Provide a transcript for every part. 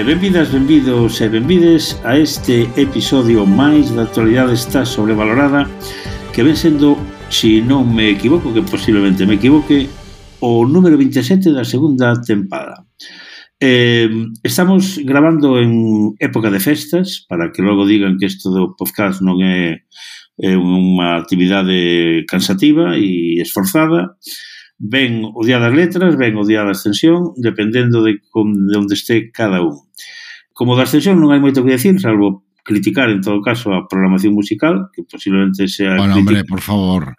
Benvidas, benvidos e benvides a este episodio máis da actualidade está sobrevalorada, que ven sendo, se non me equivoco, que posiblemente me equivoque, o número 27 da segunda tempada. Estamos grabando en época de festas, para que logo digan que isto do podcast non é unha actividade cansativa e esforzada. Ben o día das letras, ben o día da ascensión, dependendo de onde esté cada un. Como da ascensión non hai moito que decir, salvo criticar en todo caso a programación musical, que posiblemente sea... Bueno, hombre, por favor,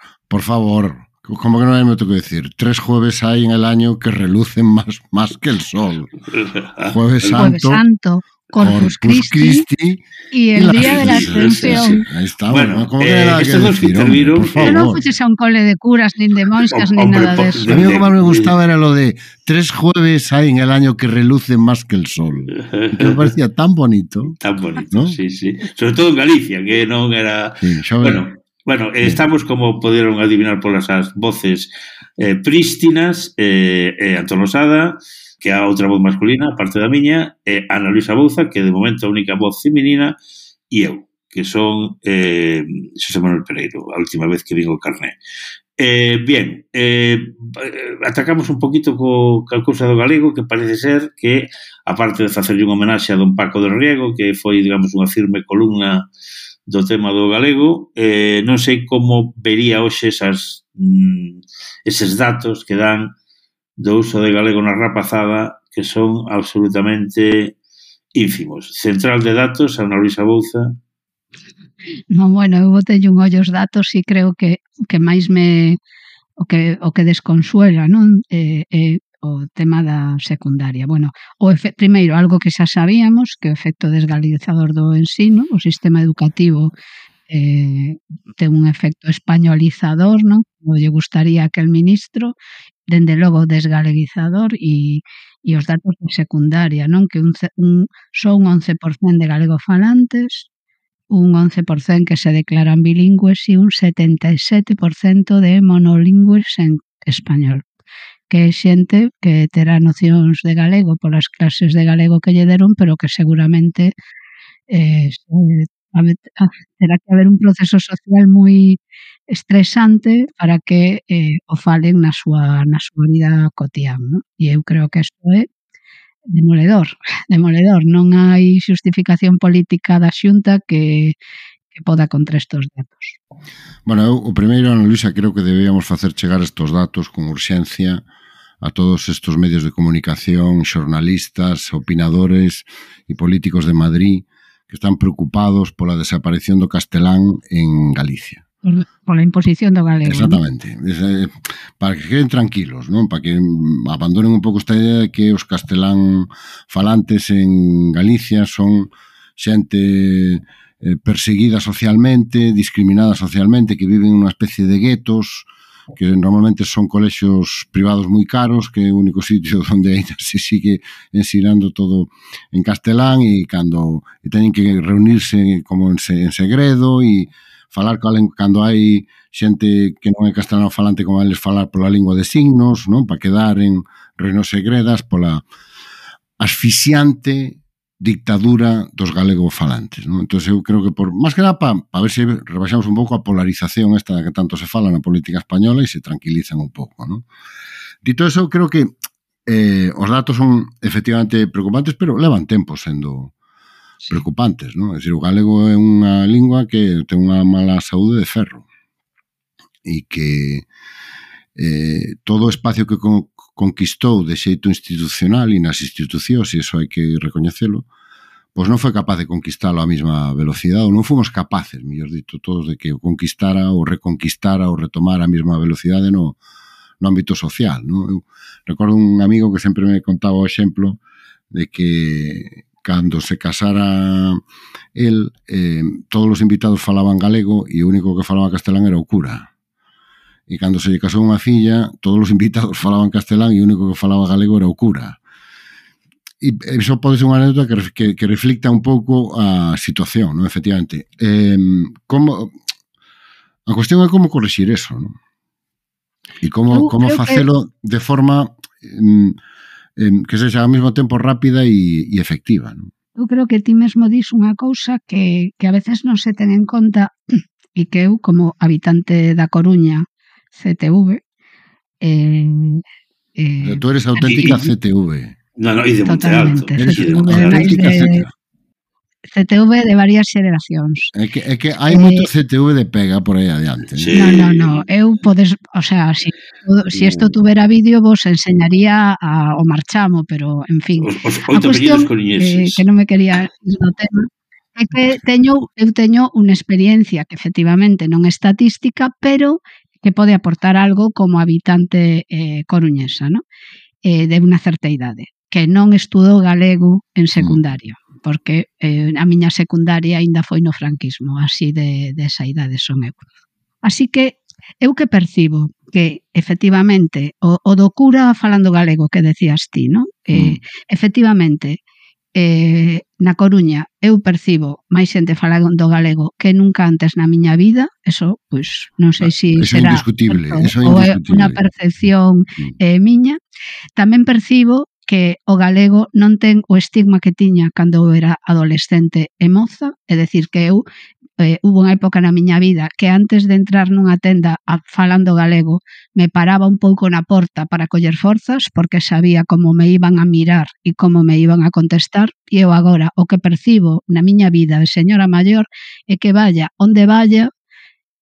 como que non hai moito que decir. 3 jueves hai en el año que relucen más que el sol. Jueves Santo, Corpus Christi y el día de la Ascensión. Ahí está, bueno, como que nada que decir, hombre, por favor. Pero non fuches a un cole de curas, nin de monxas, nin nada de eso. A mí lo que más me gustaba era lo de 3 jueves hay en el año que relucen más que el sol. Que me parecía tan bonito. Tan bonito, ¿no? Sí, sí. Sobre todo en Galicia, que non era... Sí, Bueno, estamos, como poderon adivinar polas as voces prístinas, Antón Losada, que é a outra voz masculina, a parte da miña, Ana Luisa Bouza, que de momento a única voz feminina, e eu, que son Xosé Manuel Pereiro, a última vez que vin o carné. Bien, atacamos un poquito coa cousa do galego, que parece ser que, aparte de facerlle unha homenaxe a don Paco del Riego, que foi, digamos, unha firme columna do tema do galego, non sei como vería hoxe eses datos que dan do uso de galego na rapazada, que son absolutamente ínfimos. Central de datos, Ana Luisa Bouza. Non, bueno, eu botelle un ollo os datos e creo que máis me o que desconsuela, non? O tema da secundaria. Bueno, primeiro, algo que xa sabíamos, que o efecto desgalizador do ensino, o sistema educativo ten un efecto españolizador, non? Como lle gustaría a aquel ministro, dende logo desgaleguizador e os datos de secundaria, non? Que son un 11% de galegofalantes, un 11% que se declaran bilingües e un 77% de monolingües en español, que é xente que terá nocións de galego polas clases de galego que lle deron, pero que seguramente terá que haber un proceso social moi estresante para que o falen na súa vida cotián, non? E eu creo que isto é demoledor. Non hai xustificación política da Xunta que poda contra estes datos. Bueno, eu, o primeiro, Ana Luisa, creo que debíamos facer chegar estes datos con urxencia a todos estes medios de comunicación, xornalistas, opinadores e políticos de Madrid que están preocupados pola desaparición do castelán en Galicia. Pola imposición do galego. Exactamente. ¿No? Para que queden tranquilos, non? Para que abandonen un pouco esta idea de que os castelán falantes en Galicia son xente perseguida socialmente, discriminada socialmente, que viven nunha especie de guetos, que normalmente son colexios privados moi caros, que é o único sitio onde ainda se sigue ensinando todo en castelán e teñen que reunirse como en segredo e falar cando hai xente que non é castelán falante como eles falar pola lingua de signos, non? Para quedar en reinos segredas pola asfixiante dictadura dos galegofalantes, non? Entón eu creo que máis que nada para ver se rebaixamos un pouco a polarización esta que tanto se fala na política española e se tranquilizan un pouco, non? Dito eso, eu creo que os datos son efectivamente preocupantes, pero levan tempo sendo preocupantes, non? É dicir, o galego é unha lingua que ten unha mala saúde de ferro e que todo o espacio que conquistou de xeito institucional e nas institucións, e iso hai que recoñecelo, pois non foi capaz de conquistalo a mesma velocidade, ou non fomos capaces, mellor dito, todos de que o conquistara ou reconquistara ou retomara a mesma velocidade no no ámbito social, non? Eu recordo un amigo que sempre me contaba o exemplo de que cando se casara el, todos os invitados falaban galego e o único que falaba castelán era o cura. E cando se lle casou unha filla, todos os invitados falaban castelán e o único que falaba galego era o cura. E iso pode ser unha anécdota que reflicta un pouco a situación, non? Efectivamente. A cuestión é como corrixir eso, non? E como facelo de forma que sexa ao mesmo tempo rápida e efectiva, non? Eu creo que ti mesmo dis unha cousa que a veces non se ten en conta e que eu, como habitante da Coruña, CTV... Tú eres auténtica CTV. No, e de Monte Alto. CTV de varias xeracións. É que hai moito CTV de pega por aí adiante. Sí. No. Eu podes, o sea, si isto tuvera vídeo vos enseñaría o marchamo, pero, en fin. Os 8 apellidos coruñeses. Que non me quería ir do tema. É que eu teño unha experiencia que efectivamente non é estatística, pero que pode aportar algo como habitante coruñesa, ¿no? De unha certa idade, que non estudou galego en secundaria, porque a miña secundaria aínda foi no franquismo, así de esa idade son eu. Así que eu que percibo que efectivamente o do cura falando galego que decías ti, ¿no? Efectivamente, na Coruña eu percibo máis xente falando galego que nunca antes na miña vida, eso, pois, non sei se será indiscutible, ou é unha percepción miña. Tamén percibo que o galego non ten o estigma que tiña cando eu era adolescente e moza, é dicir, que eu hubo unha época na miña vida que antes de entrar nunha tenda falando galego me paraba un pouco na porta para coller forzas porque sabía como me iban a mirar e como me iban a contestar, e eu agora o que percibo na miña vida de señora maior é que vaya onde vaya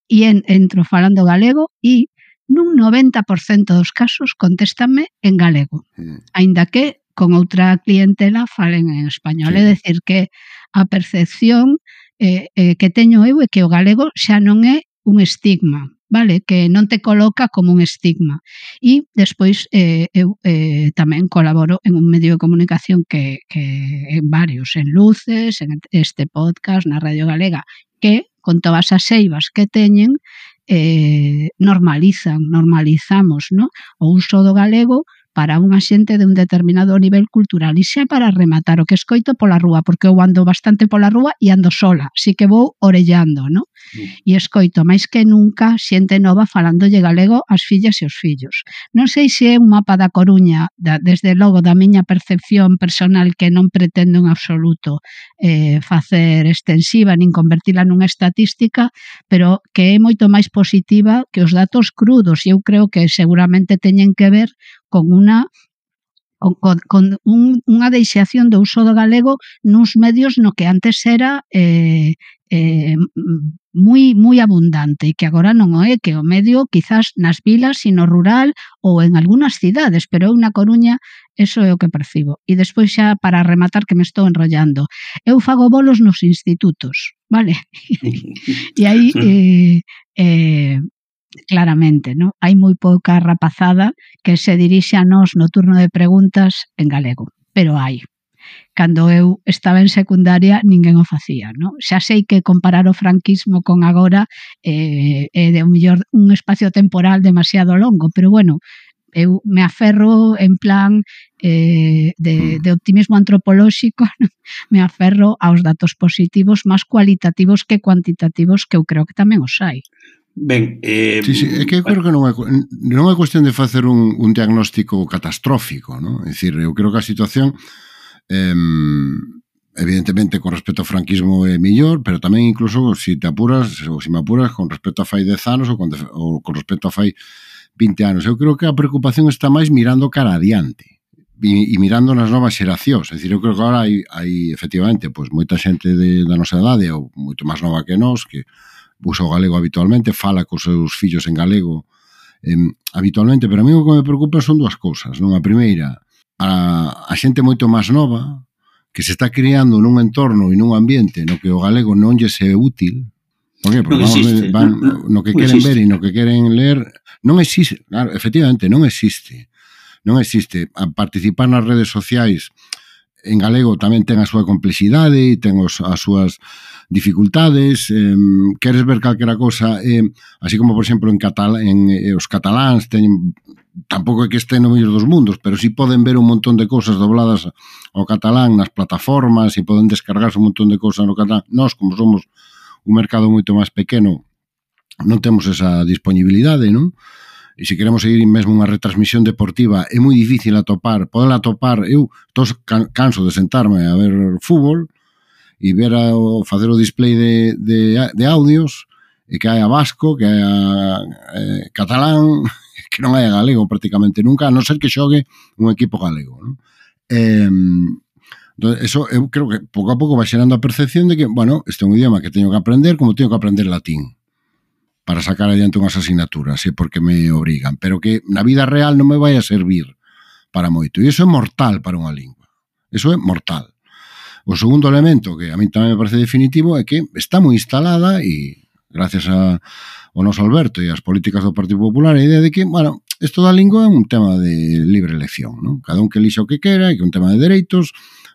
e entro falando galego e nun 90% dos casos contéstanme en galego, aínda que con outra clientela falen en español. É dicir, que a percepción que teño eu é que o galego xa non é un estigma, vale? Que non te coloca como un estigma. E despois eu tamén colaboro en un medio de comunicación que en varios, en Luces, en este podcast, na Radio Galega, que con todas as eivas que teñen normalizamos, ¿no? O uso do galego para unha xente de un determinado nivel cultural. E xa para rematar o que escoito pola rúa, porque eu ando bastante pola rúa e ando sola, así que vou orellando, ¿no? E escoito máis que nunca xente nova falandolle galego ás fillas e os fillos. Non sei se é un mapa da Coruña, desde logo da miña percepción personal, que non pretendo en absoluto facer extensiva nin convertila nunha estatística, pero que é moito máis positiva que os datos crudos, e eu creo que seguramente teñen que ver con unha deixación do uso do galego nuns medios no que antes era moi abundante e que agora non o é, que o medio quizás nas vilas e no rural ou en algunhas cidades, pero eu na Coruña eso é o que percibo. E despois xa para rematar, que me estou enrollando, eu fago bolos nos institutos, vale? E aí claramente, ¿no? Hai moi pouca rapazada que se dirixe a nós no turno de preguntas en galego, pero hai. Cando eu estaba en secundaria ninguén o facía, ¿no? Xa sei que comparar o franquismo con agora é de un mellor un espacio temporal demasiado longo, pero bueno, eu me aferro en plan de optimismo antropolóxico, ¿no? Me aferro aos datos positivos máis cualitativos que cuantitativos, que eu creo que tamén os hai. Ben, sí, é que eu creo que non é cuestión de facer un diagnóstico catastrófico, non? É dicir, eu creo que a situación evidentemente con respecto ao franquismo é mellor, pero tamén incluso se te apuras, ou se me apuras con respecto a fai 10 anos ou con respecto a fai 20 anos. Eu creo que a preocupación está máis mirando cara adiante e mirando nas novas xeracións. É dicir, eu creo que agora hai efectivamente, pois, moita xente da nosa idade ou moito máis nova que nós que usa o galego habitualmente, fala cos seus fillos en galego habitualmente, pero a mí o que me preocupa son dúas cousas, non? A primeira, a xente moito máis nova que se está criando nun entorno e nun ambiente no que o galego non lle é útil, Por qué? Porque van no que queren ver e no que queren ler. Non existe, claro, efectivamente, non existe. Non existe. A participar nas redes sociais en galego tamén ten a súa complexidade e ten as súas dificultades. Queres ver calquera cosa, así como, por exemplo, os cataláns teñen, tampouco é que estén no mellor dos mundos, pero sí poden ver un montón de cosas dobladas ao catalán nas plataformas e poden descargarse un montón de cosas no catalán. Nós, como somos un mercado moito máis pequeno, non temos esa disponibilidade, non? E se queremos seguir mesmo unha retransmisión deportiva é moi difícil poder atopar. Eu canso de sentarme a ver fútbol e facer o display de audios e que hai a vasco, que hai a catalán, que non hai a galego prácticamente nunca, a non ser que xogue un equipo galego, non? Eso eu creo que pouco a pouco vai xerando a percepción de que, bueno, este é un idioma que teño que aprender como teño que aprender latín para sacar adiante unhas asignaturas, porque me obrigan, pero que na vida real non me vai a servir para moito. E iso é mortal para unha lingua. Iso é mortal. O segundo elemento, que a mí tamén me parece definitivo, é que está moi instalada, e gracias ao noso Alberto e as políticas do Partido Popular, a idea de que, bueno, isto da lingua é un tema de libre elección, non? Cada un que elixa o que quera, e que é un tema de dereitos.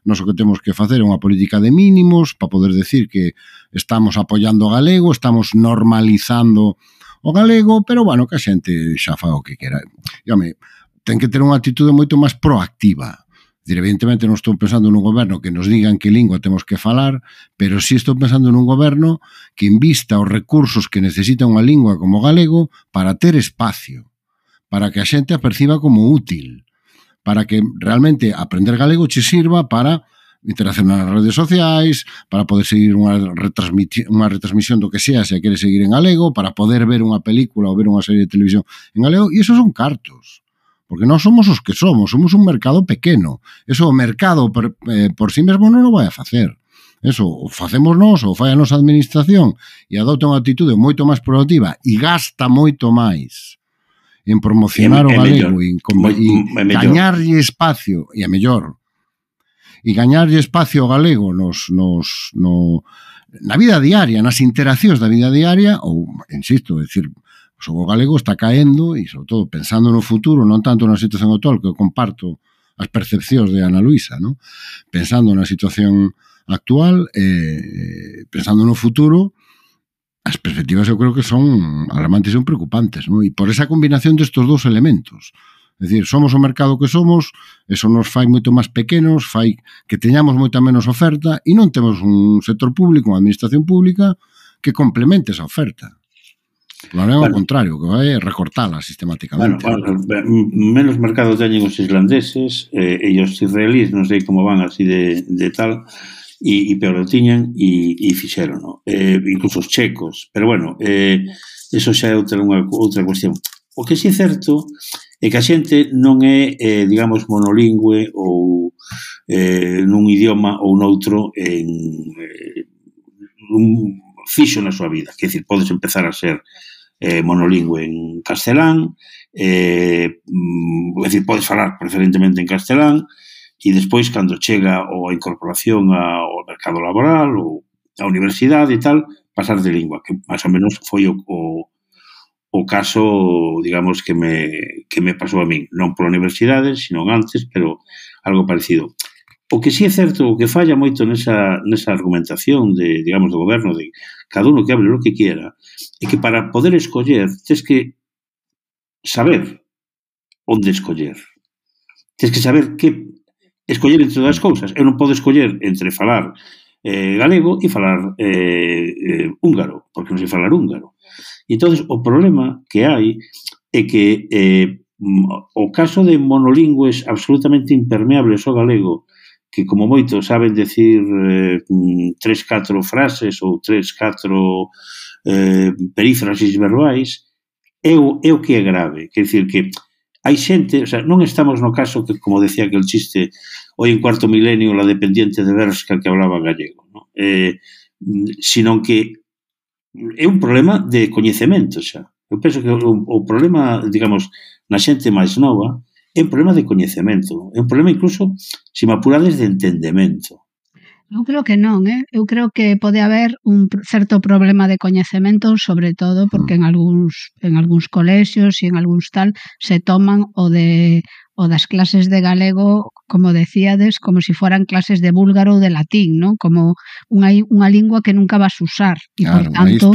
Nós o que temos que facer é unha política de mínimos para poder decir que estamos apoiando o galego, estamos normalizando o galego, pero, bueno, que a xente xa fa o que quera. E, home, ten que ter unha actitude moito máis proactiva. Evidentemente non estou pensando nun goberno que nos digan que lingua temos que falar, pero sí estou pensando nun goberno que invista os recursos que necesita unha lingua como o galego para ter espacio, para que a xente a perciba como útil, para que realmente aprender galego che sirva para interaccionar nas redes sociais, para poder seguir unha retransmisión do que sea, se a queres seguir en galego, para poder ver unha película ou ver unha serie de televisión en galego, e esos son cartos. Porque nós somos os que somos un mercado pequeno. Eso o mercado por sí mesmo non o vai a facer. Eso o facemos nós, ou fai a nosa administración, e adopta unha actitude moito máis proactiva e gasta moito máis en promocionar o galego e gañarlle espacio, e a mellor, e gañarlle espacio ao galego na vida diaria, nas interaccións da vida diaria, ou, insisto, decir, o galego está caendo, e sobre todo pensando no futuro, non tanto na situación actual, que eu comparto as percepcións de Ana Luisa, non? Pensando na situación actual, pensando no futuro, as perspectivas eu creo que son alarmantes e son preocupantes, non? E por esa combinación destes dous elementos. É dicir, somos o mercado que somos, eso nos fai moito máis pequenos, fai que teñamos moita menos oferta e non temos un sector público, unha administración pública que complemente esa oferta. Non é ao contrario, que vai recortala sistemáticamente. Menos mercado teñen os islandeses e os israelíes, non sei como van así de tal, e peor o tiñan e fixeron, no? Incluso os checos, pero bueno, eso xa é outra cuestión. O que si é certo é que a xente non é, digamos, monolingüe ou nun idioma ou noutro fixo na súa vida. Quer dizer, podes empezar a ser monolingüe en castelán, é dicir, podes falar preferentemente en castelán, e despois, cando chega a incorporación ao mercado laboral ou á universidade e tal, pasar de lingua, que máis ou menos foi o caso, digamos, que me pasou a min, non pola universidade, sino antes, pero algo parecido. O que sí é certo, o que falla moito nesa argumentación digamos, do goberno, de cada uno que hable lo que quiera, é que para poder escoller, tens que saber onde escoller. Tens que saber que escoller entre das cousas. Eu non podo escoller entre falar galego e falar húngaro, porque non sei falar húngaro. E entón, o problema que hai é que o caso de monolingües absolutamente impermeables ao galego, que como moito saben decir 3-4 frases ou 3-4 perífrasis verbais, é o que é grave. Quer dicir que hai xente, o sea, non estamos no caso que, como decía aquel chiste, hoy en cuarto milenio la dependiente de Bershka que hablaba gallego, ¿no? Sino que é un problema de coñecemento xa. Eu penso que o problema, digamos, na xente máis nova é un problema de coñecemento, é un problema incluso, se me apurades, de entendemento. Eu creo que non, eu creo que pode haber un certo problema de coñecemento, sobre todo porque en algúns colexios e en algúns tal se toman o das clases de galego, como decíades, como se foran clases de búlgaro ou de latín, non? Como unha lingua que nunca vas usar e, por tanto,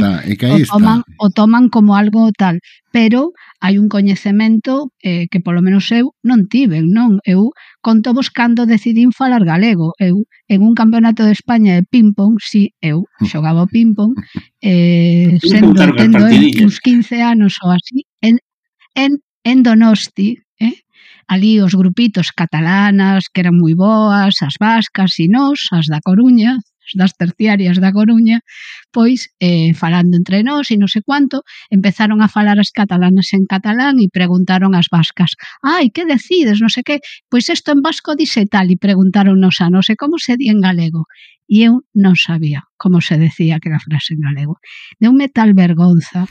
o toman como algo tal. Pero hai un coñecemento que polo menos eu non tiven, non? Eu conto vos cando decidín falar galego. Eu, en un campeonato de España de ping-pong, si, eu xogaba o ping-pong, tendo uns 15 anos ou así, en Donosti, ali os grupitos catalanas, que eran moi boas, as vascas e nós, as da Coruña, das terciarias da Coruña, pois, falando entre nós e non sei cuánto, empezaron a falar as catalanas en catalán e preguntaron as vascas, ai, que decides, non sei que, pois isto en vasco dice tal, e preguntáronnos a non sei como se di en galego, e eu non sabía como se decía aquela frase en galego. Deume tal vergonza,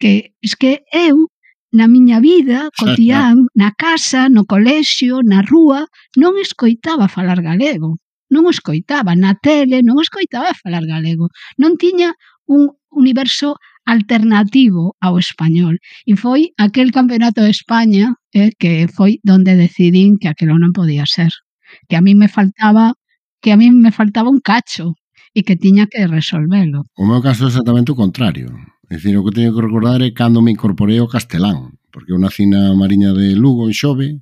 que es que eu, na miña vida cotián, na casa, no colexio, na rúa, non escoitaba falar galego. Non o escoitaba. Na tele non escoitaba falar galego. Non tiña un universo alternativo ao español. E foi aquel campeonato de España que foi donde decidín que aquilo non podía ser. Que a mí me faltaba un cacho e que tiña que resolvelo. O meu caso é exactamente o contrario. É dicir, o que teño que recordar é cando me incorporei ao castelán, porque eu nací na Mariña de Lugo, en Xove,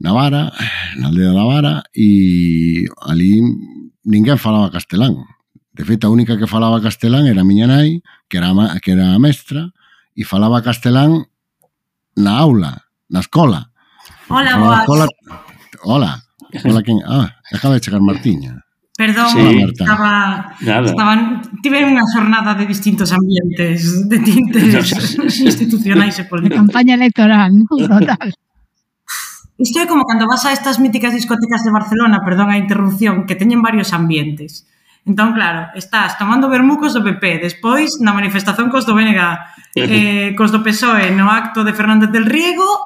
na Vara, na aldea da Vara, e ali ninguén falaba castelán. De feito, a única que falaba castelán era a miña nai, que era a mestra, e falaba castelán na aula, na escola. Hola, boas. Hola, quen? Acaba de chegar Martiña. Perdón, sí, tive unha xornada de distintos ambientes, de tintes institucionais e políticos. Campaña electoral, total. Isto é como cando vas a estas míticas discotecas de Barcelona, perdón a interrupción, que teñen varios ambientes. Entón, claro, estás tomando vermucos do PP, despois na manifestación cos do BNG, cos do PSOE no acto de Fernández del Riego,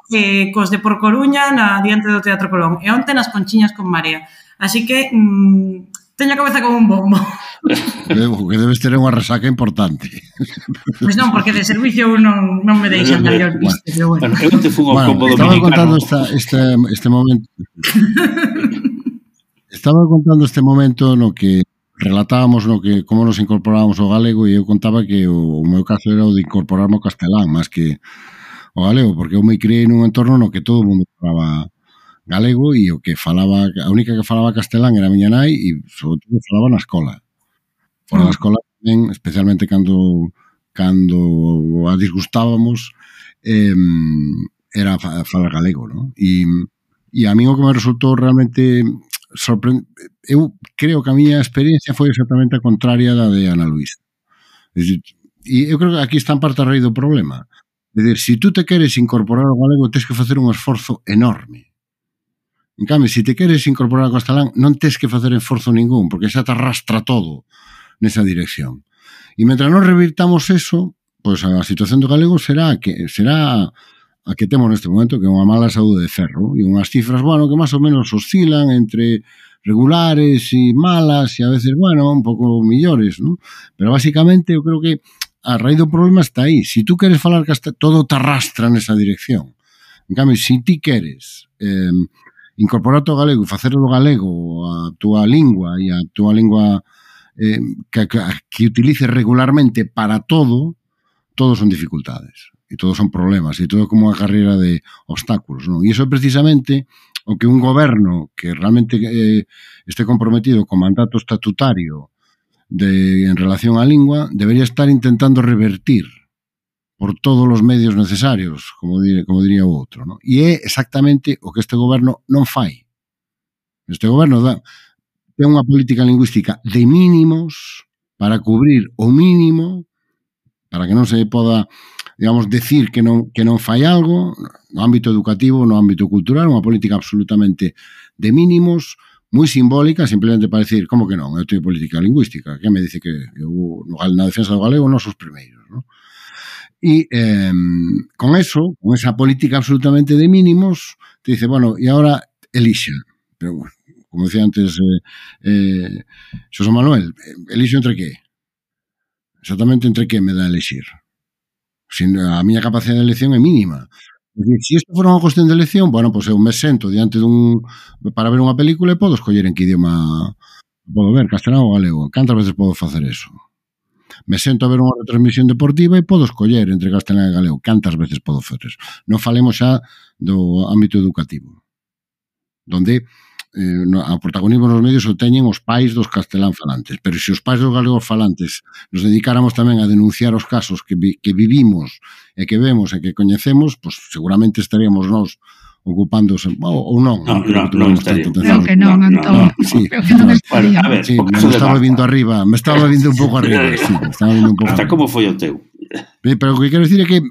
cos de Por Coruña diante do Teatro Colón, e onte nas Conchiñas con Marea. Así que teño a cabeza como un bombo. O que debes ter unha resaca importante. Pois non, porque de servicio non me deixan maior viste, pero bueno. Eu te fun ao combo dominicano. Estaba contando este momento. Estaba contando este momento no que relatábamos como nos incorporábamos ao galego, e eu contaba que o meu caso era o de incorporarme ao castelán, máis que ao galego, porque eu me criei nun entorno no que todo o mundo falaba galego, e o que falaba, a única que falaba castelán era a miña nai, e sobre todo falaba na escola. Fora da escola tamén, especialmente cando a disgustábamos, era falar galego, non? E a mí o que me resultou realmente sorprendente, eu creo que a miña experiencia foi exactamente a contraria da de Ana Luisa. E eu creo que aquí está en parte a raíz do problema. É dicir, se tú te queres incorporar ao galego, tens que facer un esforzo enorme. En cambio, se te queres incorporar ao castelán, non tens que facer esforzo ningún, porque xa te arrastra todo nesa dirección. E mentre non revirtamos eso, pois a situación do galego será a que temos neste momento, que é unha mala saúde de ferro, e unhas cifras, que máis ou menos oscilan entre regulares e malas, e a veces, un pouco millores, non? Pero basicamente, eu creo que a raíz do problema está aí. Se tú queres falar castelán, todo te arrastra nesa dirección. En cambio, se ti queres incorporarte ao galego e facer do galego a túa lingua e a túa lingua que utilices regularmente para todo son dificultades e todos son problemas e todo é como unha carreira de obstáculos, non? E iso é precisamente o que un goberno que realmente este comprometido con mandato estatutario en relación á lingua debería estar intentando revertir por todos os medios necesarios, como diría o outro, non? E é exactamente o que este goberno non fai. Este goberno ten unha política lingüística de mínimos para cubrir o mínimo, para que non se poda, digamos, decir que non fai algo no ámbito educativo, no ámbito cultural, unha política absolutamente de mínimos, moi simbólica, simplemente para decir, como que non, eu teño política lingüística, que me dice que eu na defensa do galego non son os primeiros, non? E con esa política absolutamente de mínimos, te dice, e agora elixa. Pero, como decía antes Xosé Manuel, elixo entre que? Exactamente entre que me dá a elixir? A miña capacidade de elección é mínima. Se isto fora unha cuestión de elección, bueno, pois eu me sento diante para ver unha película e podo escoller en que idioma podo ver, castelán ou galego. Cantas veces podo facer eso? Me sento a ver unha retransmisión deportiva e podo escoller entre castelán e galego. Cantas veces podo facer eso? Non falemos xa do ámbito educativo, donde o protagonismo nos medios o teñen os pais dos castelán falantes, pero se os pais dos galegos falantes nos dedicáramos tamén a denunciar os casos que vivimos e que vemos e que coñecemos, pues seguramente estaríamos nós ocupándose, ou non. Non estaríamos. Creo que non, Antón. Creo que non estaríamos. A ver, me estaba vindo arriba, me estaba vindo un pouco arriba. Hasta como foi o teu? Pero o que quero dicir é que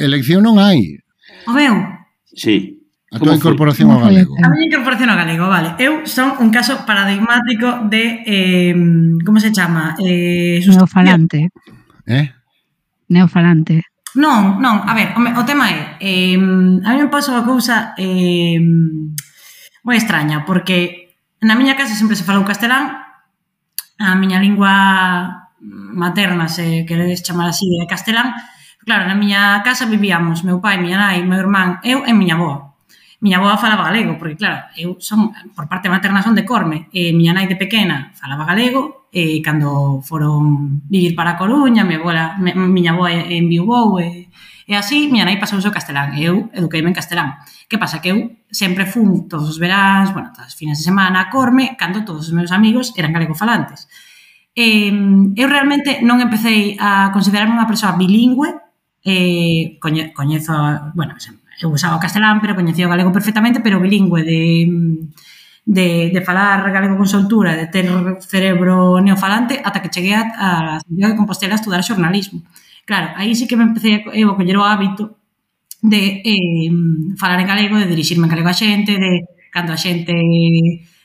elección non hai. O meu? Sí. A tua incorporación ao galego. A miña incorporación ao galego, vale. Eu son un caso paradigmático de, como se chama? Neofalante. Neofalante. Non, a ver, o tema é, a mí me pasa unha cousa moi extraña, porque na miña casa sempre se falou castelán, a miña lingua materna, se queredes chamar así, é castelán. Claro, na miña casa vivíamos meu pai, miña nai, meu irmán, eu e miña avó. Miña avó falaba galego, porque claro, eu son, por parte materna son de Corme, e miña nai de pequena falaba galego, e cando foron vivir para a Coruña, miña avó enviubou, e así, miña nai pasouse o castelán, e eu eduqueime en castelán. Que pasa? Que eu sempre fun todos os veráns, bueno, todas as fines de semana a Corme, cando todos os meus amigos eran galegofalantes. Eu realmente non empecé a considerarme unha persoa bilingüe, coñezo, bueno, eu usaba o castelán, pero coñecía o galego perfectamente, pero bilingüe de falar galego con soltura, de ter cerebro neofalante, ata que cheguei a Santiago de Compostela a estudar xornalismo. Claro, aí sí que me empecé a coller o hábito de falar en galego, de dirixirme en galego a xente, de cando a xente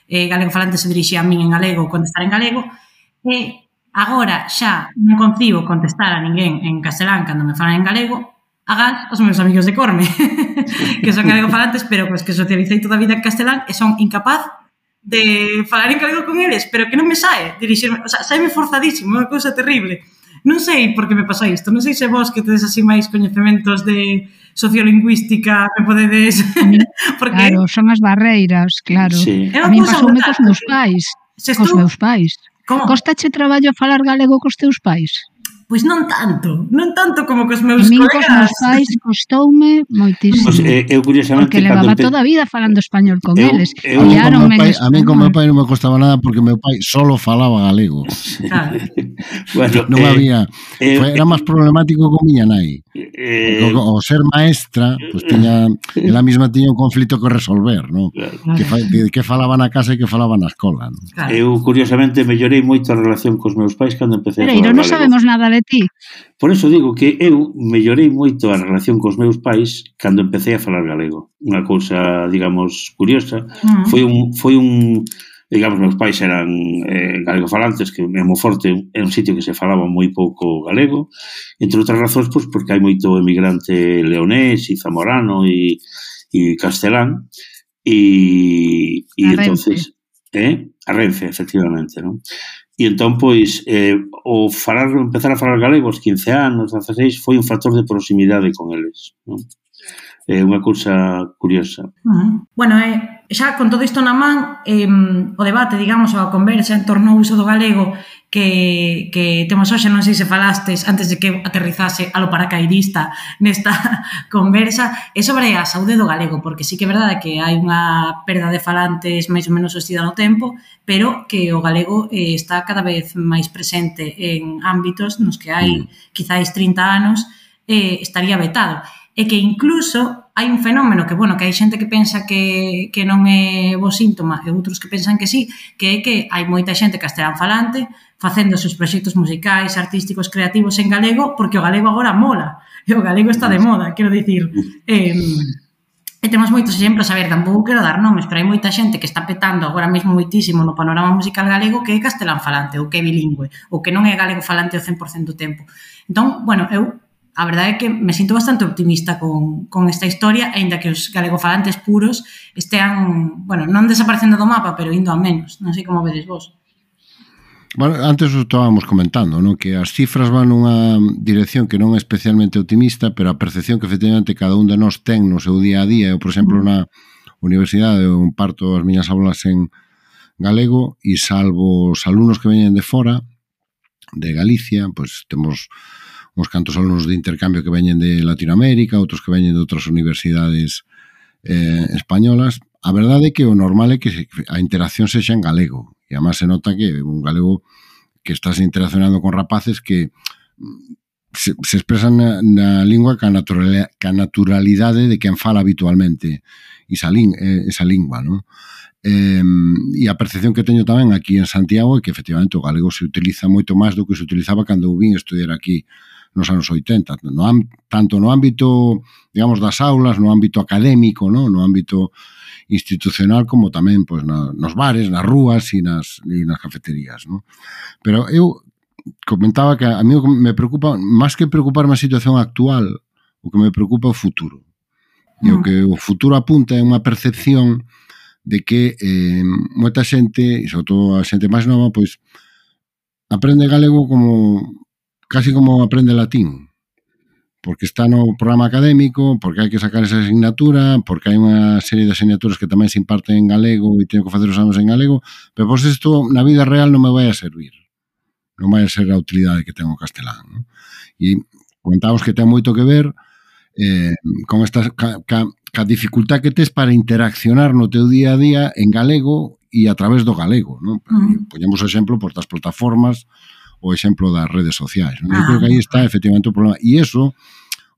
galego falante se dirixía a min en galego, contestar en galego, e agora xa non concibo contestar a ninguén en castelán cando me falan en galego, agás os meus amigos de Corme, que son galegofalantes, pero pues, que socialicei toda a vida en castelán e son incapaz de falar en galego con eles, pero que non me sae dirixirme, o sea, saime forzadísimo, unha cousa terrible. Non sei por que me pasa isto, non sei se vos que tedes así máis coñecementos de sociolingüística me podedes... Porque... Claro, son as barreiras, claro. Sí. A mí pasoume cos meus pais. Cos meus pais. Como? Costache traballo a falar galego cos teus pais? Pois non tanto como cos meus colegas. Cos meus pais costoume moitísimo. Pues, eu curiosamente... Porque levaba toda a vida falando español con eles. A mí con meu pai non me costaba nada porque meu pai solo falaba galego. Claro. Bueno, non había... era máis problemático con miña nai. O ser maestra, pues ela mesma tiña un conflito que resolver, ¿no? Claro. Que falaba na casa e que falaba na escola, ¿no? Claro. Eu, curiosamente, mellorei moito a relación cos meus pais cando empecé a falar galego. Non sabemos nada de ti. Por eso digo que eu mellorei moito a relación cos meus pais cando empecé a falar galego. Unha cousa, digamos, curiosa. Foi un digamos, meus pais eran galegofalantes, que en Monforte é un sitio que se falaba moi pouco galego, entre outras razóns, pois, porque hai moito emigrante leonés e zamorano e castelán, e entonces... A Renfe, efectivamente, non? E entón, pois, empezar a falar galego aos 15 anos, 16, foi un factor de proximidade con eles, non? É unha cousa curiosa. Bueno, xa con todo isto na man, o debate, digamos, a conversa en torno ao uso do galego que temos hoxe, non sei se falastes antes de que aterrizase a lo paracaidista nesta conversa, é sobre a saúde do galego, porque sí que é verdade que hai unha perda de falantes máis ou menos sostida no tempo, pero que o galego está cada vez máis presente en ámbitos nos que hai quizáis 30 anos estaría vetado. E que incluso hai un fenómeno que, bueno, que hai xente que pensa que non é bo síntoma e outros que pensan que sí, que é que hai moita xente castelán falante facendo os seus proxectos musicais, artísticos, creativos en galego, porque o galego agora mola, e o galego está de moda, quero dicir. E temos moitos exemplos, a ver, tampouco quero dar nomes, pero hai moita xente que está petando agora mesmo moitísimo no panorama musical galego que é castelán falante, ou que é bilingüe, ou que non é galego falante o 100% do tempo. Entón, bueno, eu a verdade é que me sinto bastante optimista con esta historia, aínda que os galegofalantes puros estean, bueno, non desaparecendo do mapa, pero indo a menos. Non sei como vedes vos. Bueno, antes o estábamos comentando, ¿no? Que as cifras van nunha dirección que non é especialmente optimista, pero a percepción que efectivamente cada un de nós ten no seu día a día, eu, por exemplo, na universidade eu parto as miñas aulas en galego e salvo os alumnos que veñen de fora, de Galicia, pois temos uns cantos alumnos de intercambio que veñen de Latinoamérica, outros que veñen de outras universidades españolas. A verdade é que o normal é que a interacción sexa en galego. E además se nota que un galego que estás interaccionando con rapaces que se expresan na lingua ca naturalidade de quen fala habitualmente esa lingua, non? E a percepción que teño tamén aquí en Santiago é que efectivamente o galego se utiliza moito máis do que se utilizaba cando eu vin estudiar aquí nos anos 80, tanto no ámbito, digamos, das aulas, no ámbito académico, no ámbito institucional, como tamén pois, nos bares, nas rúas e nas cafeterías. No? Pero eu comentaba que a mí me preocupa, máis que preocuparme a situación actual, o que me preocupa é o futuro. E o que o futuro apunta é unha percepción de que moita xente, e sobre todo a xente máis nova, pois aprende galego casi como aprende latín. Porque está no programa académico, porque hai que sacar esa asignatura, porque hai unha serie de asignaturas que tamén se imparten en galego e teño que facer os exames en galego, pero pois isto na vida real non me vai a servir. Non vai a ser a utilidade que ten o castelán. Non? E comentábamos que ten moito que ver con esta ca dificultad que tes para interaccionar no teu día a día en galego e a través do galego. Non? Poñemos o exemplo por das plataformas, o exemplo das redes sociais. Non? Eu creo que aí está efectivamente o problema. E iso,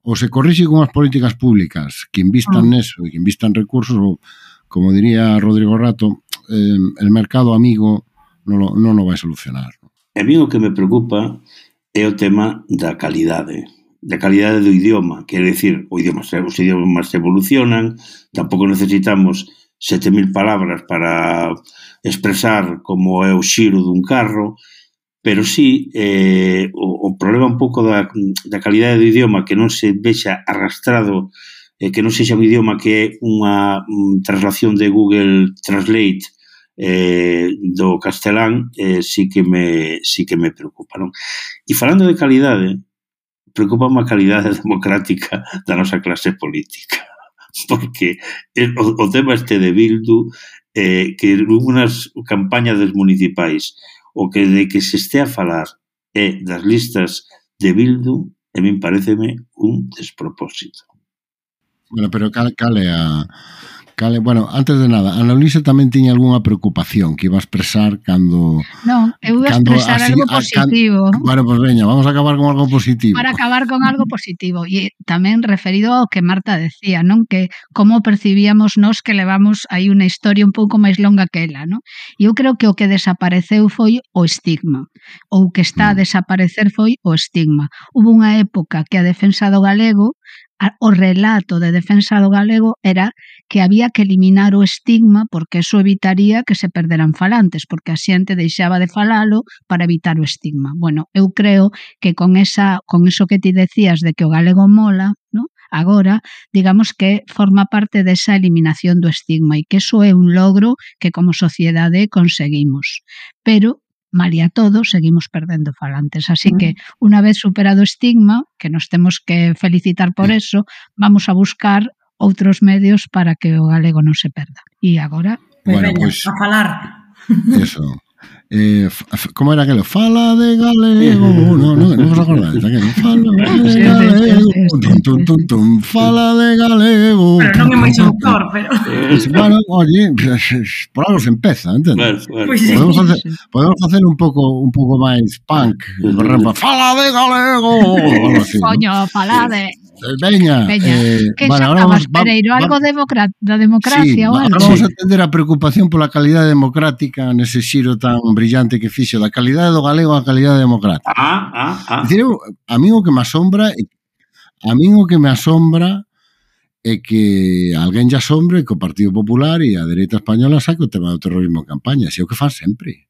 ou se corrixe con as políticas públicas que invistan neso e que invistan recursos, ou, como diría Rodrigo Rato, el mercado amigo non o vai solucionar. A mí o que me preocupa é o tema da calidade do idioma. Quero dicir, os idiomas evolucionan, tampouco necesitamos 7.000 palabras para expresar como é o xiro dun carro, pero sí, o problema un pouco da calidade do idioma, que non se vexa arrastrado, que non sexa un idioma que é unha traslación de Google Translate do castelán, sí que me preocupa, non? E falando de calidade, preocupa a calidade democrática da nosa clase política, porque o tema este de Bildu, que unhas campañas das municipais, o que de que se este a falar é das listas de Bildu, a min pareceme un despropósito. Bueno, pero cal é a... Bueno, antes de nada, Ana Luisa tamén tiña algunha preocupación que iba a expresar cando... Non, eu iba a expresar algo positivo. Bueno, pues veña, vamos a acabar con algo positivo. Para acabar con algo positivo. E tamén referido ao que Marta decía, non? Que como percibíamos nós que levamos aí unha historia un pouco máis longa que ela, non? E eu creo que o que desapareceu foi o estigma. Ou que está a desaparecer foi o estigma. Hubo unha época que a defensa do galego, o relato de defensa do galego era que había que eliminar o estigma porque eso evitaría que se perderan falantes, porque a xente deixaba de falalo para evitar o estigma. Bueno, eu creo que con eso que ti decías de que o galego mola, ¿no? Agora, digamos que forma parte desa eliminación do estigma e que eso é un logro que como sociedade conseguimos. Pero malia todo, seguimos perdendo falantes. Así que, unha vez superado o estigma, que nos temos que felicitar por eso, vamos a buscar outros medios para que o galego non se perda. E agora... Bueno, pues, a falar. Eso. Como era aquilo? Fala de galego. Non vos acordáis daquilo? Fala de galego. Fala de galego. Pero non é moi autor, pero... Bueno, oye, por algo se empeza, entendes? Pues sí. Podemos facer un pouco máis punk. Fala de galego. Coño, fala de... Veña. Que xa estabas, Pereiro, algo da democracia ou algo? Vamos a entender a preocupación pola calidade democrática nese xiro tan brillante que fixo da calidade do galego á calidade democrática. Dicir, a mí o que me asombra é que alguén lle asombre que o Partido Popular e a dereita española saque o tema do terrorismo en campaña. Si é o que fan sempre.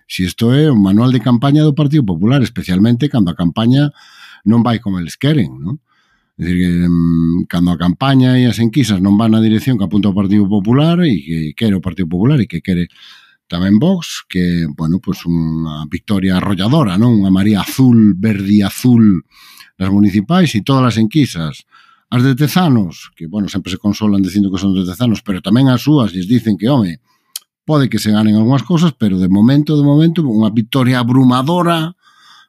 Si isto é un manual de campaña do Partido Popular, especialmente cando a campaña non vai como eles queren, non? É dicir, que cando a campaña e as enquisas non van na dirección que apunta o Partido Popular e que quere o Partido Popular e que quere tamén Vox, que, bueno, pues unha victoria arrolladora, non? Unha María azul, verde e azul nas municipais, e todas as enquisas, as de Tezanos, que, bueno, sempre se consolan dicindo que son de Tezanos, pero tamén as súas lles dicen que, home, pode que se ganen algunhas cosas, pero de momento, unha victoria abrumadora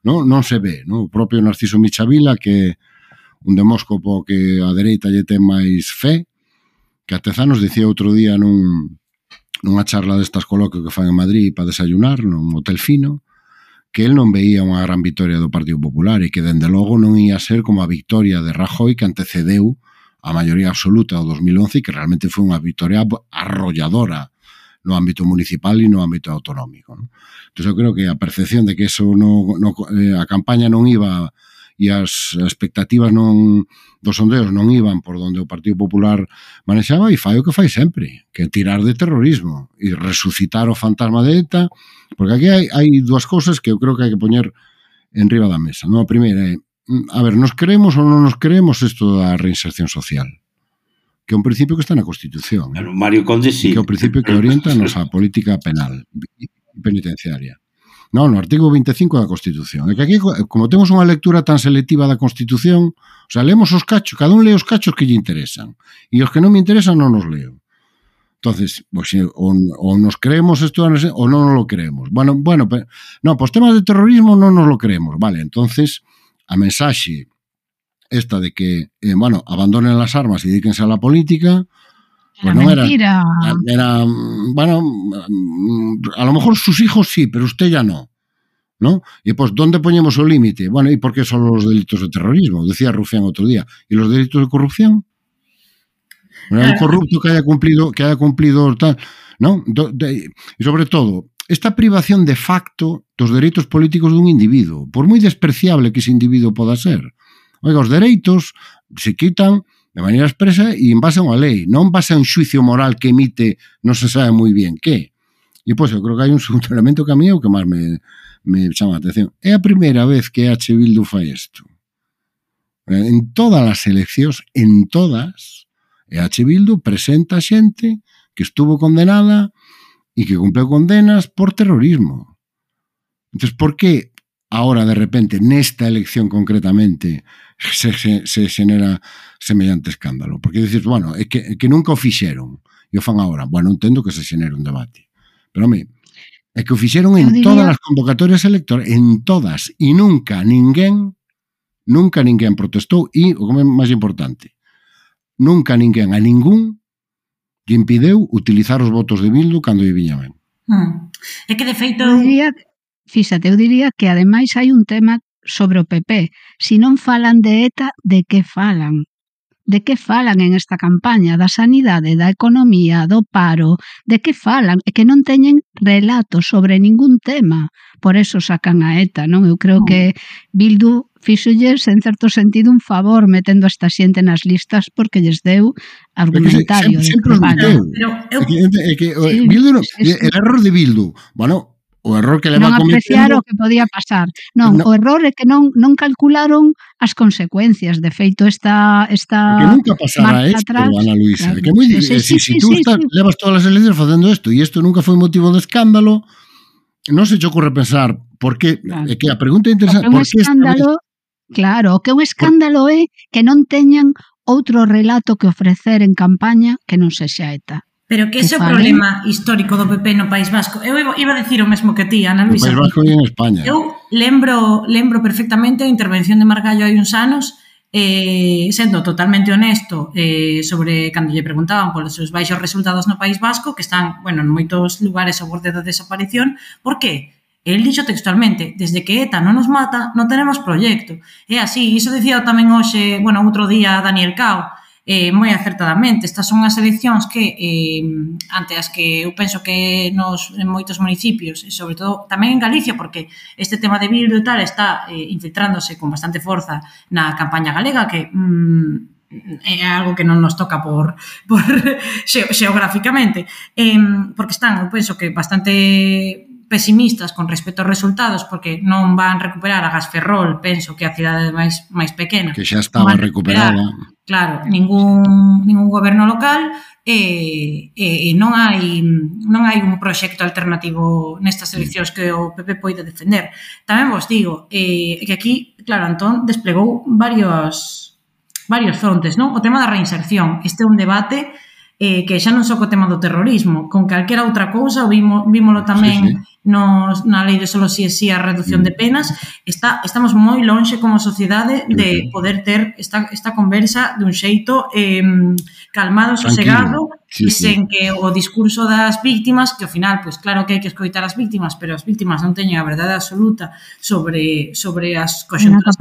non se ve, non? O propio Narciso Michavila, que un demóscopo que a dereita lle ten máis fe, que a Tezanos dicía outro día nunha charla destas coloquio que fan en Madrid para desayunar, nun hotel fino, que el non veía unha gran victoria do Partido Popular e que, dende logo, non ia ser como a victoria de Rajoy que antecedeu a maioría absoluta do 2011 e que realmente foi unha victoria arrolladora no ámbito municipal e no ámbito autonómico, non? Entón, eu creo que a percepción de que eso a campaña non iba e as expectativas dos sondeos non iban por donde o Partido Popular manexaba, e fai o que fai sempre, que é tirar de terrorismo e resucitar o fantasma de ETA, porque aquí hai dúas cousas que eu creo que hai que poñer en riba da mesa, non? A primeira é, a ver, nos creemos ou non nos creemos isto da reinserción social? Que é un principio que está na Constitución. Pero Mario Conde sí. Que é o principio que orienta a nosa política penal e penitenciaria. Non, no artigo 25 da Constitución. É que aquí, como temos unha lectura tan selectiva da Constitución, o sea, leemos os cachos, cada un lee os cachos que lle interesan, e os que non me interesan non os leo. Entonces, pues, o nos creemos isto ou non nos lo creemos. Bueno, pero, no, pues temas de terrorismo non nos lo creemos. Vale, entonces, a mensaxe esta de que, bueno, abandonen las armas y dedíquense a la política, pues no era, bueno, a lo mejor sus hijos sí, pero usted ya no, ¿no? Y pues, ¿dónde ponemos el límite? Bueno, ¿y por qué solo los delitos de terrorismo? Decía Rufián otro día. ¿Y los delitos de corrupción? Un corrupto que haya cumplido tal, ¿no? Y sobre todo, esta privación de facto dos dereitos políticos dun individuo, por moi despreciable que ese individuo poda ser. Oiga, os dereitos se quitan de maneira expresa e en base a unha lei, non en base a un xuicio moral que emite non se sabe moi bien que. E, pois, eu creo que hai un segundo elemento que a mí é o que máis me chama a atención. É a primeira vez que H. Bildu fai isto. En todas as eleccións, en todas, H. Bildu presenta xente que estuvo condenada e que cumpleu condenas por terrorismo. Entón, por que ahora, de repente, nesta elección concretamente, se xenera semellante escándalo? Porque dices, bueno, é que nunca o fixeron e o fan agora. Bueno, entendo que se xenera un debate. Pero, home, é que o fixeron en todas as convocatorias electorales, en todas, e nunca ninguén protestou, e, o que é máis importante, nunca ninguén a ningún lle impideu utilizar os votos de Bildu cando lle viña ben. É que, de feito... Eu diría que, ademais, hai un tema sobre o PP. Si non falan de ETA, de que falan? De que falan en esta campaña? Da sanidade, da economía, do paro? De que falan? É que non teñen relatos sobre ningún tema. Por eso sacan a ETA, non? Eu creo que Bildu fixolles, en certo sentido, un favor metendo esta xente nas listas porque lles deu argumentario de campaña. É que Bildu, el error de Bildu, bueno, o error que leva non apreciar o que podía pasar. Non, o error é que non calcularon as consecuencias. De feito, esta que nunca pasará isto, Ana Luisa. Claro. Que moi difícil. Si tú levas todas as eleccións facendo isto e isto nunca foi motivo de escándalo, non se te ocurre pensar por que, é que a pregunta interesante, por que escándalo, claro, o que un escándalo é que non teñan outro relato que ofrecer en campaña que non sexa ETA. Pero que ese é o problema histórico do PP no País Vasco. Eu iba a decir o mesmo que ti, Ana Luisa. O País Vasco e en España. Eu lembro perfectamente a intervención de Margallo hai uns anos, sendo totalmente honesto sobre cando lle preguntaban polos seus baixos resultados no País Vasco, que están, bueno, en moitos lugares ao borde da desaparición. Por que? El dixo textualmente, desde que ETA non nos mata, non tenemos proxecto. É así, iso dicía tamén hoxe, bueno, outro día Daniel Cao, moi acertadamente. Estas son as eleccións que ante as que eu penso que en moitos municipios, e sobre todo tamén en Galicia, porque este tema de Bildu e tal está infiltrándose con bastante forza na campaña galega, que é algo que non nos toca por xeográficamente, porque están, eu penso que bastante pesimistas con respecto aos resultados, porque non van recuperar a Gasferrol, penso que a cidade máis pequena. Que xa estaba recuperada. Claro, ningún goberno local e non hai un proxecto alternativo nestas eleccións que o PP poida defender. Tamén vos digo que aquí, claro, Antón desplegou varios frontes, non? O tema da reinserción. Este é un debate que xa non só co tema do terrorismo, con calquera outra cousa, vímolo tamén na lei de solo si es si a reducción de penas, estamos moi lonxe como sociedade de poder ter esta conversa dun xeito calmado, sosegado, e sen que o discurso das víctimas, que ao final, pois claro que hai que escoitar as víctimas, pero as víctimas non teñen a verdade absoluta sobre as coxunturas.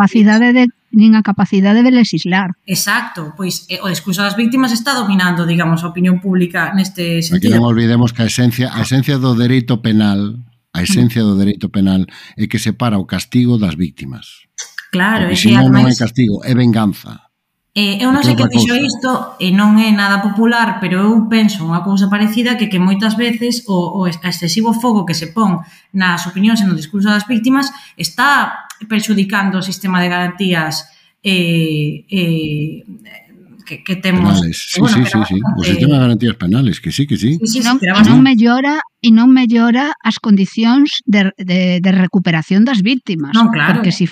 Nin a capacidade de legislar. Exacto, pois o discurso das víctimas está dominando, digamos, a opinión pública neste sentido. Aquí non olvidemos que a esencia do dereito penal é que separa o castigo das víctimas. Claro, porque senón non é castigo, é venganza. Eu non sei que dixo isto e non é nada popular, pero eu penso unha cousa parecida que moitas veces o excesivo fogo que se pon nas opinións e no discurso das víctimas está perxudicando o sistema de garantías que temos. Penales. Sí. O sistema de garantías penales, que sí. Non mellora as condicións de recuperación das víctimas. Non, claro. Porque se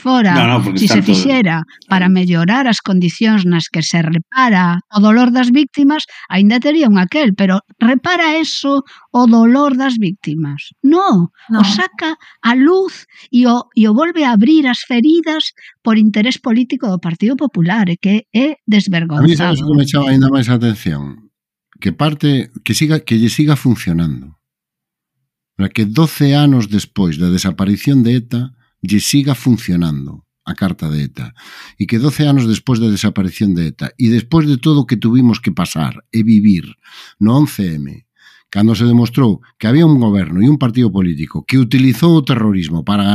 fixera para mellorar as condicións nas que se repara o dolor das víctimas, aínda tería un aquel, pero repara eso o dolor das víctimas. Non, o saca a luz e o volve a abrir as feridas por interés político do Partido Popular, e que é desvergonzado. A mí sabes que me chama ainda máis a atención? Que lle siga funcionando. Para que 12 anos despois da desaparición de ETA lle siga funcionando a carta de ETA, e que 12 anos despois da desaparición de ETA e despois de todo o que tuvimos que pasar e vivir no 11M, cando se demostrou que había un goberno e un partido político que utilizou o terrorismo para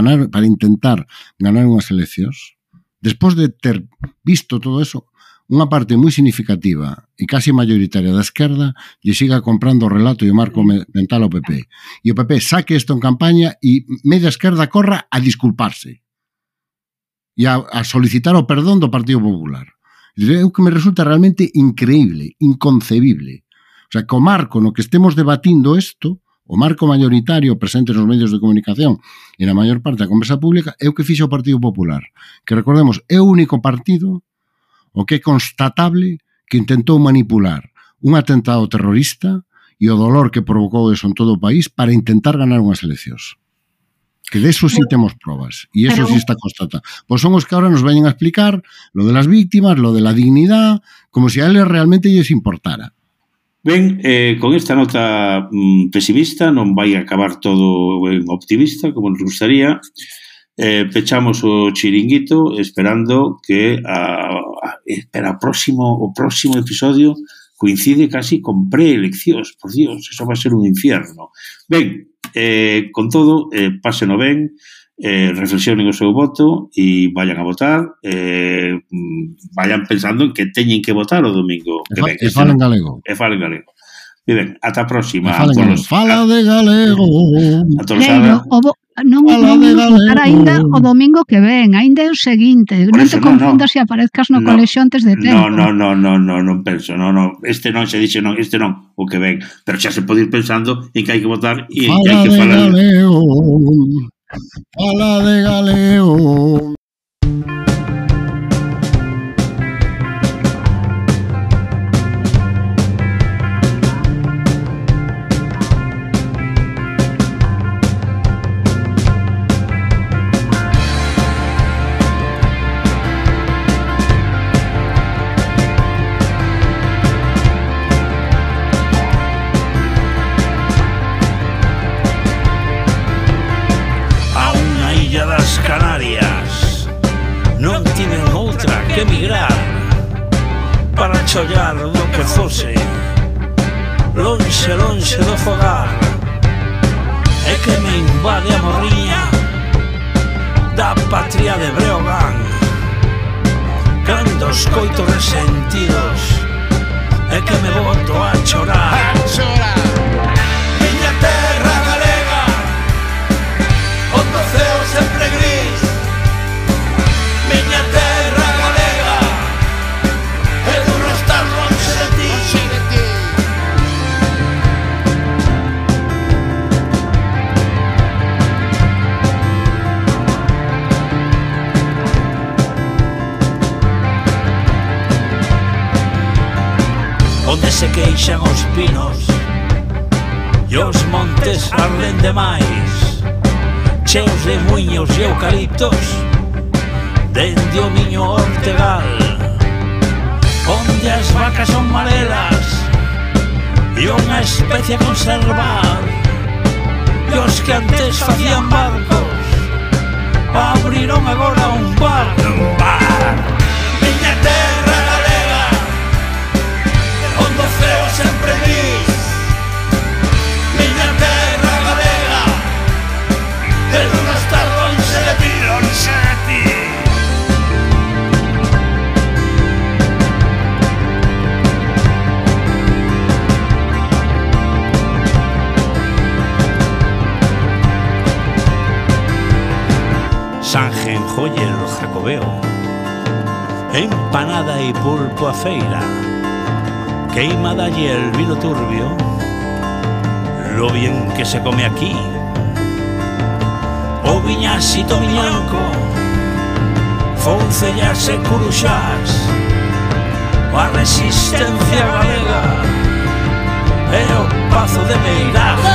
intentar ganar unhas eleccións, despois de ter visto todo eso, unha parte moi significativa e casi mayoritaria da esquerda lle siga comprando o relato e o marco mental ao PP. E o PP saque isto en campaña e media esquerda corra a disculparse e a solicitar o perdón do Partido Popular. É o que me resulta realmente increíble, inconcebible. O sea, que o marco no que estemos debatindo isto, o marco mayoritario presente nos medios de comunicación e na maior parte da conversa pública, é o que fixa o Partido Popular. Que recordemos, é o único partido o que é constatable que intentou manipular un atentado terrorista e o dolor que provocou eso en todo o país para intentar ganar unhas eleccións. Que de eso sí temos probas, e eso sí está constatado. Pois son os que ahora nos veñen a explicar lo de las víctimas, lo de la dignidad, como se a eles realmente lles importara. Ben, con esta nota pesimista non vai acabar todo en optimista, como nos gustaría. Pechamos o chiringuito esperando que o próximo episodio coincide casi con preeleccións. Por Dios, eso va a ser un infierno. Ben, con todo, páseno ben, reflexionen o seu voto e vayan a votar, vayan pensando en que teñen que votar o domingo que ven. E falen galego. E ben, ata a próxima. Fala de galego. Non votar ainda o domingo que ven, ainda é o seguinte, non te confundas e aparezcas no colexio antes de tempo. Non penso, este non se dixe este non, o que ven, pero xa se pode ir pensando en que hai que votar e en que hai que falar. Fala de galego. Que emigrar para chollar do que fose lonxe do fogar, é que me invade a morriña da patria de Breogán, cando os coito resentidos é que me boto a chorar. Miña terra galega onde se queixan os pinos e os montes arden demais, cheos de muiños e eucaliptos dende o Miño Ortegal, onde as vacas son marelas e unha especie a conservar, e os que antes facían barcos abriron agora un bar. Miña terra galega, onde o ceo sempre dis, miña terra galega, de non estar lonxe de ti, lonxe de ti. Sanjen, joyer, jacobeo, empanada y pulpo a feira, queimada y el vino turbio, lo bien que se come aquí, o viñasito miñanco, foncellas e curuxás, a resistencia galega, e o pazo de Meirás.